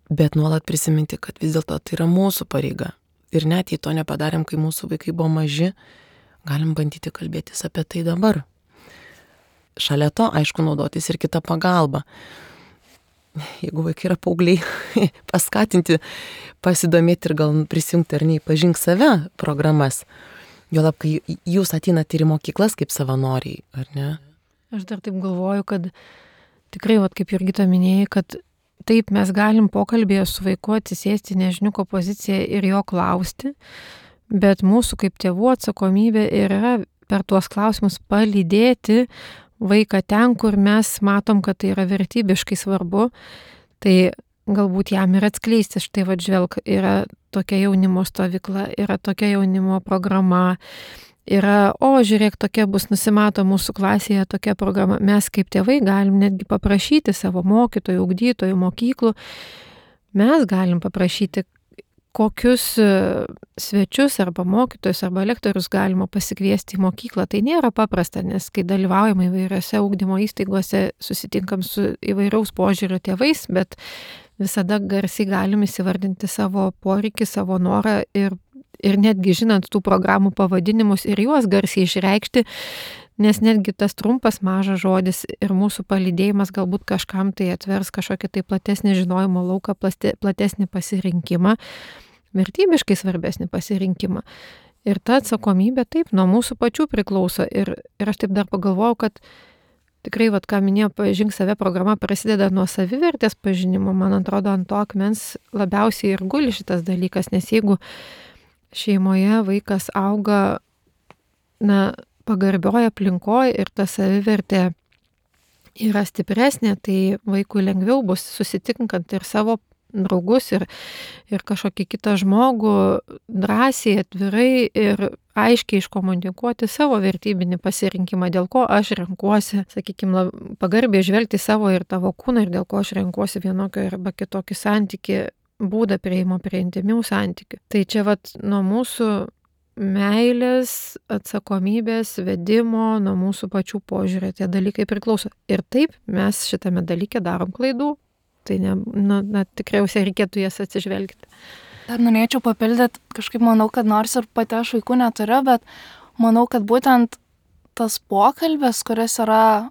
bet nuolat prisiminti, kad vis dėlto tai yra mūsų pareiga. Ir net jei to nepadarėm, kai mūsų vaikai buvo maži, galim bandyti kalbėtis apie tai dabar. Šalia to, aišku, naudotis ir kitą pagalbą. Jeigu vaikai yra paaugliai, paskatinti, pasidomėti ir gal prisijungti ar nei pažink save programas. Juolab, kai jūs ateinate ir į mokyklas kaip savanoriai, ar ne? Aš dar taip galvoju, kad tikrai, kaip Jurgita minėjai, kad taip mes galim pokalbėje su vaiku atsisėsti nežiniuko poziciją ir jo klausti, bet mūsų kaip tėvų atsakomybė yra per tuos klausimus palydėti vaiką ten, kur mes matom, kad tai yra vertybiškai svarbu, tai galbūt jam ir atskleisti, štai žvelk, yra tokia jaunimo stovykla, yra tokia jaunimo programa, yra, žiūrėk, tokia bus, nusimato mūsų klasėje tokia programa. Mes kaip tėvai galim netgi paprašyti savo mokytojų, ugdytojų, mokyklų, mes galim paprašyti, kokius svečius arba mokytojus arba lektorius galima pasikviesti į mokyklą. Tai nėra paprasta, nes kai dalyvaujame įvairiose ugdymo įstaigose, susitinkam su įvairaus požiūrio tėvais, bet visada garsiai galim įsivardinti savo poreikį, savo norą ir netgi žinant tų programų pavadinimus ir juos garsiai išreikšti, nes netgi tas trumpas mažas žodis ir mūsų palydėjimas galbūt kažkam tai atvers kažkokį tai platesnį žinojimo lauką, platesnį pasirinkimą, vertybiškai svarbesnį pasirinkimą. Ir ta atsakomybė taip nuo mūsų pačių priklauso. Ir aš taip dar pagalvojau, kad tikrai, ką minėjo pažink save programa, prasideda nuo savivertės pažinimo. Man atrodo, ant to akmens labiausiai ir guli šitas dalykas, nes jeigu šeimoje vaikas auga pagarbioje aplinkoje ir ta savivertė yra stipresnė, tai vaikui lengviau bus susitinkant ir savo draugus ir kažkokį kitą žmogų drąsiai, atvirai ir aiškiai iškomunikuoti savo vertybinį pasirinkimą, dėl ko aš renkuosi, sakykime, pagarbiai žvelgti savo ir tavo kūną ir dėl ko aš renkuosi vienokį arba kitokį santykį, būdą prieimo prie intimių santykių. Tai čia nuo mūsų meilės, atsakomybės, vedimo, nuo mūsų pačių požiūrė tie dalykai priklauso. Ir taip mes šitame dalyke darom klaidų. Tai tikriausiai reikėtų jas atsižvelgti. Dar norėčiau papildyti, kažkaip manau, kad nors ir pati aš vaikų neturiu, bet manau, kad būtent tas pokalbis, kuris yra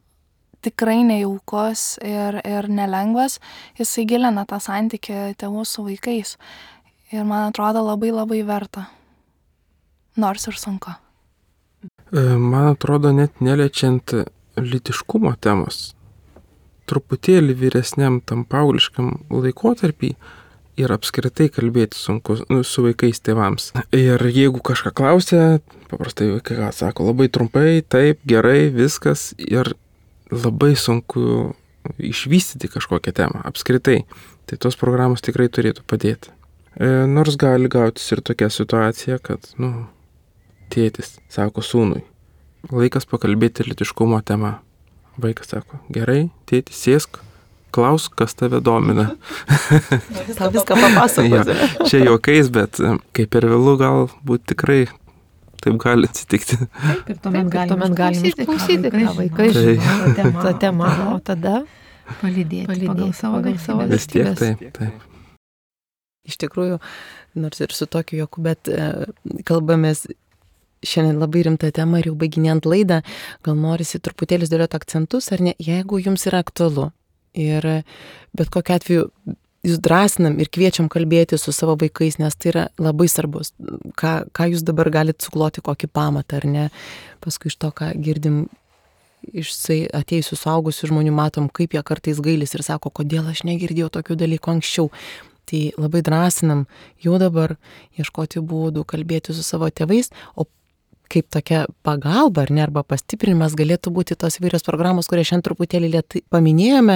tikrai nejaukus ir nelengvas, jisai gilina tą santykį tėvų su vaikais. Ir man atrodo labai labai verta, nors ir sunku. Man atrodo, net neliečiant lytiškumo temos, truputėlį vyresniam tam paaugliškam laikotarpį ir apskritai kalbėti sunku su vaikais tėvams. Ir jeigu kažką klausia, paprastai vaikai sako labai trumpai, taip, gerai, viskas, ir labai sunku išvystyti kažkokią temą apskritai. Tai tos programos tikrai turėtų padėti. Nors gali gautis ir tokia situacija, kad, tėtis sako sūnui, laikas pakalbėti lytiškumo tema. Vaikas sako, gerai, tėtis, sėsk, klausk, kas tave domina. Tau viską papasakosiu. Čia juokais, bet kai per vėlų galbūt tikrai taip gali atsitikti. Taip, ir tuomet galim išklausyti, ką vaikai žino tą temą, o tada palydėti pagal savo vertybės. Vis tiek taip. Iš tikrųjų, nors ir su tokiu juoku, bet kalbamės šiandien labai rimtą temą ir jau baiginėjant laidą, gal norisi truputėlį dėlioti akcentus, ar ne, jeigu jums yra aktualu. Ir bet kokiu atveju jūs drąsinam ir kviečiam kalbėti su savo vaikais, nes tai yra labai svarbus. Ką jūs dabar galite sukloti, kokį pamatą, ar ne. Paskui iš to, ką girdim iš atėjusių suaugusių žmonių, matom, kaip jie kartais gailis ir sako, kodėl aš negirdėjau tokių dalykų anksčiau. Tai labai drąsinam jau dabar ieškoti būdų, kalbėti su savo tėvais, o kaip tokia pagalba, ar ne, arba pastiprinimas galėtų būti tos įvairios programos, kurias šiandien truputėlį lėtai paminėjome,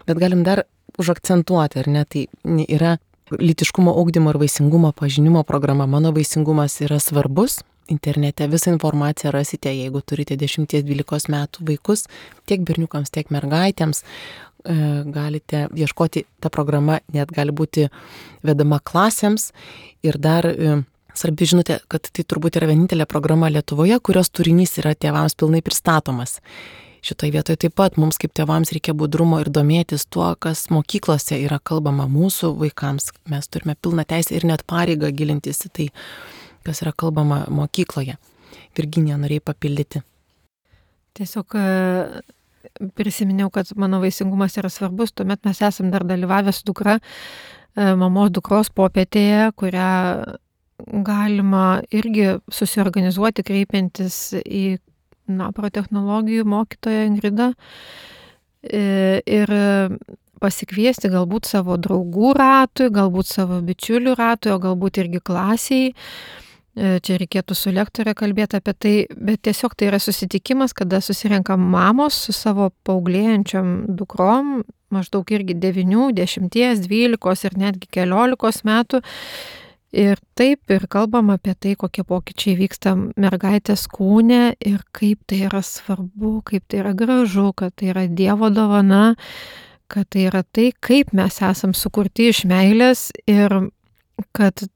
bet galim dar užakcentuoti, ar ne, tai yra lytiškumo ugdymo ir vaisingumo pažinimo programa. Mano vaisingumas yra svarbus. Internete visą informaciją rasite, jeigu turite 10-12 metų vaikus, tiek berniukams, tiek mergaitėms. Galite ieškoti, ta programa net gali būti vedama klasėms. Ir dar svarbi žinutė, kad tai turbūt yra vienintelė programa Lietuvoje, kurios turinys yra tėvams pilnai pristatomas. Šitoje vietoje taip pat mums kaip tėvams reikia budrumo ir domėtis tuo, kas mokyklose yra kalbama mūsų vaikams. Mes turime pilną teisę ir net pareigą gilintis į tai, kas yra kalbama mokykloje. Virginija, norėjai papildyti. Tiesiog prisiminiau, kad mano vaisingumas yra svarbus, tuomet mes esam dar dalyvavę su dukra mamos dukros popietėje, kurią galima irgi susiorganizuoti, kreipiantis į protechnologijų mokytoją Ingridą ir pasikviesti galbūt savo draugų ratui, galbūt savo bičiulių ratui, o galbūt irgi klasiai. Čia reikėtų su lektorė kalbėti apie tai, bet tiesiog tai yra susitikimas, kada susirenka mamos su savo paauglėjančiom dukrom, maždaug irgi 9, 10, 12 ir netgi 14 metų. Ir taip ir kalbam apie tai, kokie pokyčiai vyksta mergaitės kūne ir kaip tai yra svarbu, kaip tai yra gražu, kad tai yra Dievo dovana, kad tai yra tai, kaip mes esam sukurti iš meilės ir kad,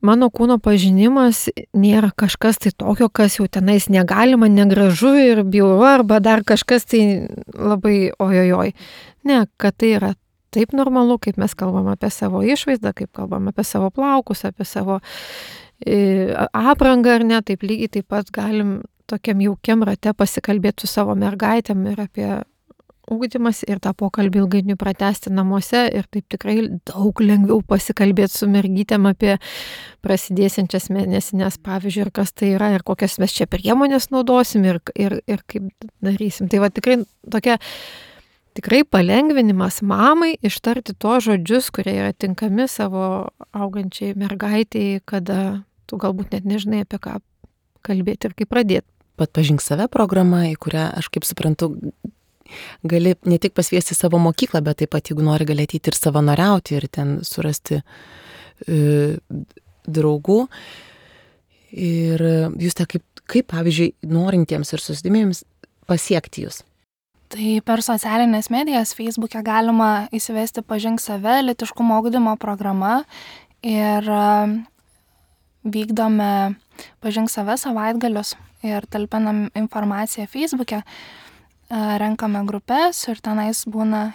mano kūno pažinimas nėra kažkas tai tokio, kas jau tenais negalima, negražu ir bjauru, arba dar kažkas tai labai ojojoj. Ne, kad tai yra taip normalu, kaip mes kalbam apie savo išvaizdą, kaip kalbam apie savo plaukus, apie savo aprangą, ar ne, taip lygiai taip pat galim tokiam jaukiam rate pasikalbėti su savo mergaitėm ir apie ugdymas ir tą pokalbį ilgainiui pratęsti namuose ir taip tikrai daug lengviau pasikalbėti su mergytėm apie prasidėsiančias mėnesinės, pavyzdžiui, ir kas tai yra ir kokias mes čia priemonės naudosim ir kaip darysim. Tai va tikrai palengvinimas mamai ištarti tos žodžius, kurie yra tinkami savo augančiai mergaitei, kada tu galbūt net nežinai, apie ką kalbėti ir kaip pradėti. Pažink save programa, į kurią, aš kaip suprantu, gali ne tik pasviesti savo mokyklą, bet taip pat, jeigu nori, gali ateiti ir savanoriauti ir ten surasti draugų. Ir jūs kaip pavyzdžiui, norintiems ir susidomėjams pasiekti jūs? Tai per socialinės medijas Facebook'e galima įsivesti Pažink save, lytiškumo ugdymo programa ir vykdome Pažink save savaitgalius ir talpinam informaciją Facebook'e, renkame grupės ir tenais būna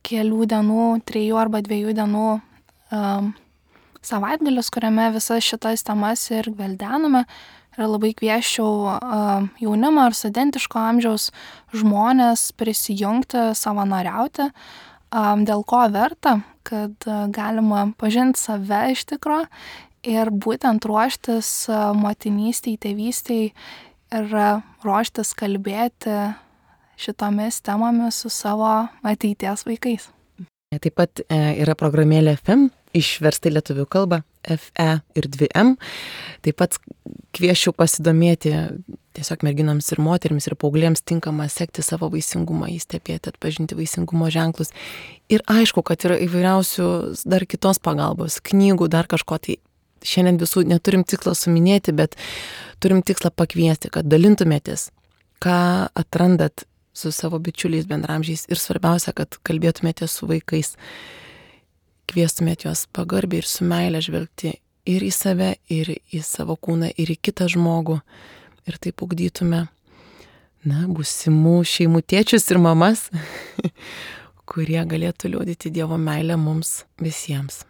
kelių dienų, 3 arba 2 dienų savaitgalis, kuriame visas šitas temas ir gveldename. Ir labai kvieščiau jaunimą ar studentiško amžiaus žmonės prisijungti, savanoriauti, dėl ko verta, kad galima pažinti save iš tikro ir būtent ruoštis motinystei, tėvystei ir ruoštis kalbėti šitomis temomis su savo ateities vaikais. Taip pat yra programėlė FM, išversta į lietuvių kalbą, FE ir 2M. Taip pat kvieščiau pasidomėti tiesiog merginoms ir moterims ir paauglėms tinkama sekti savo vaisingumą, įstebėti, atpažinti vaisingumo ženklus. Ir aišku, kad yra įvairiausių dar kitos pagalbos, knygų, dar kažko. Tai šiandien visų neturim tikslo suminėti, bet turim tikslą pakviesti, kad dalintumėtės, ką atrandat su savo bičiuliais, bendramžiais ir svarbiausia, kad kalbėtumėte su vaikais, kviestumėte juos pagarbiai ir su meile žvelgti ir į save, ir į savo kūną, ir į kitą žmogų. Ir taip ugdytume, būsimų šeimų tėčius ir mamas, kurie galėtų liudyti Dievo meilę mums visiems.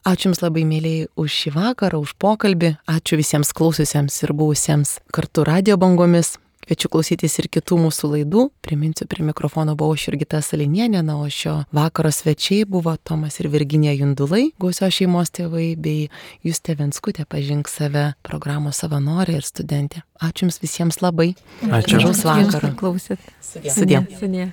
Ačiū Jums labai, mėlyjei, už šį vakarą, už pokalbį. Ačiū visiems klausiusiems ir buvusiems kartu radio bangomis. Kviečiu klausytis ir kitų mūsų laidų. Priminsiu, prie mikrofono buvau aš Jurgita Salinienė, o šio vakaro svečiai buvo Tomas ir Virginija Jundulai, Gausios šeimos tėvai, bei Justė Venskutė, Pažink save, programos savanorė ir studentė. Ačiū Jums visiems labai. Ačiū. Gražaus vakaro. Klausėt. Sudie. Sudie.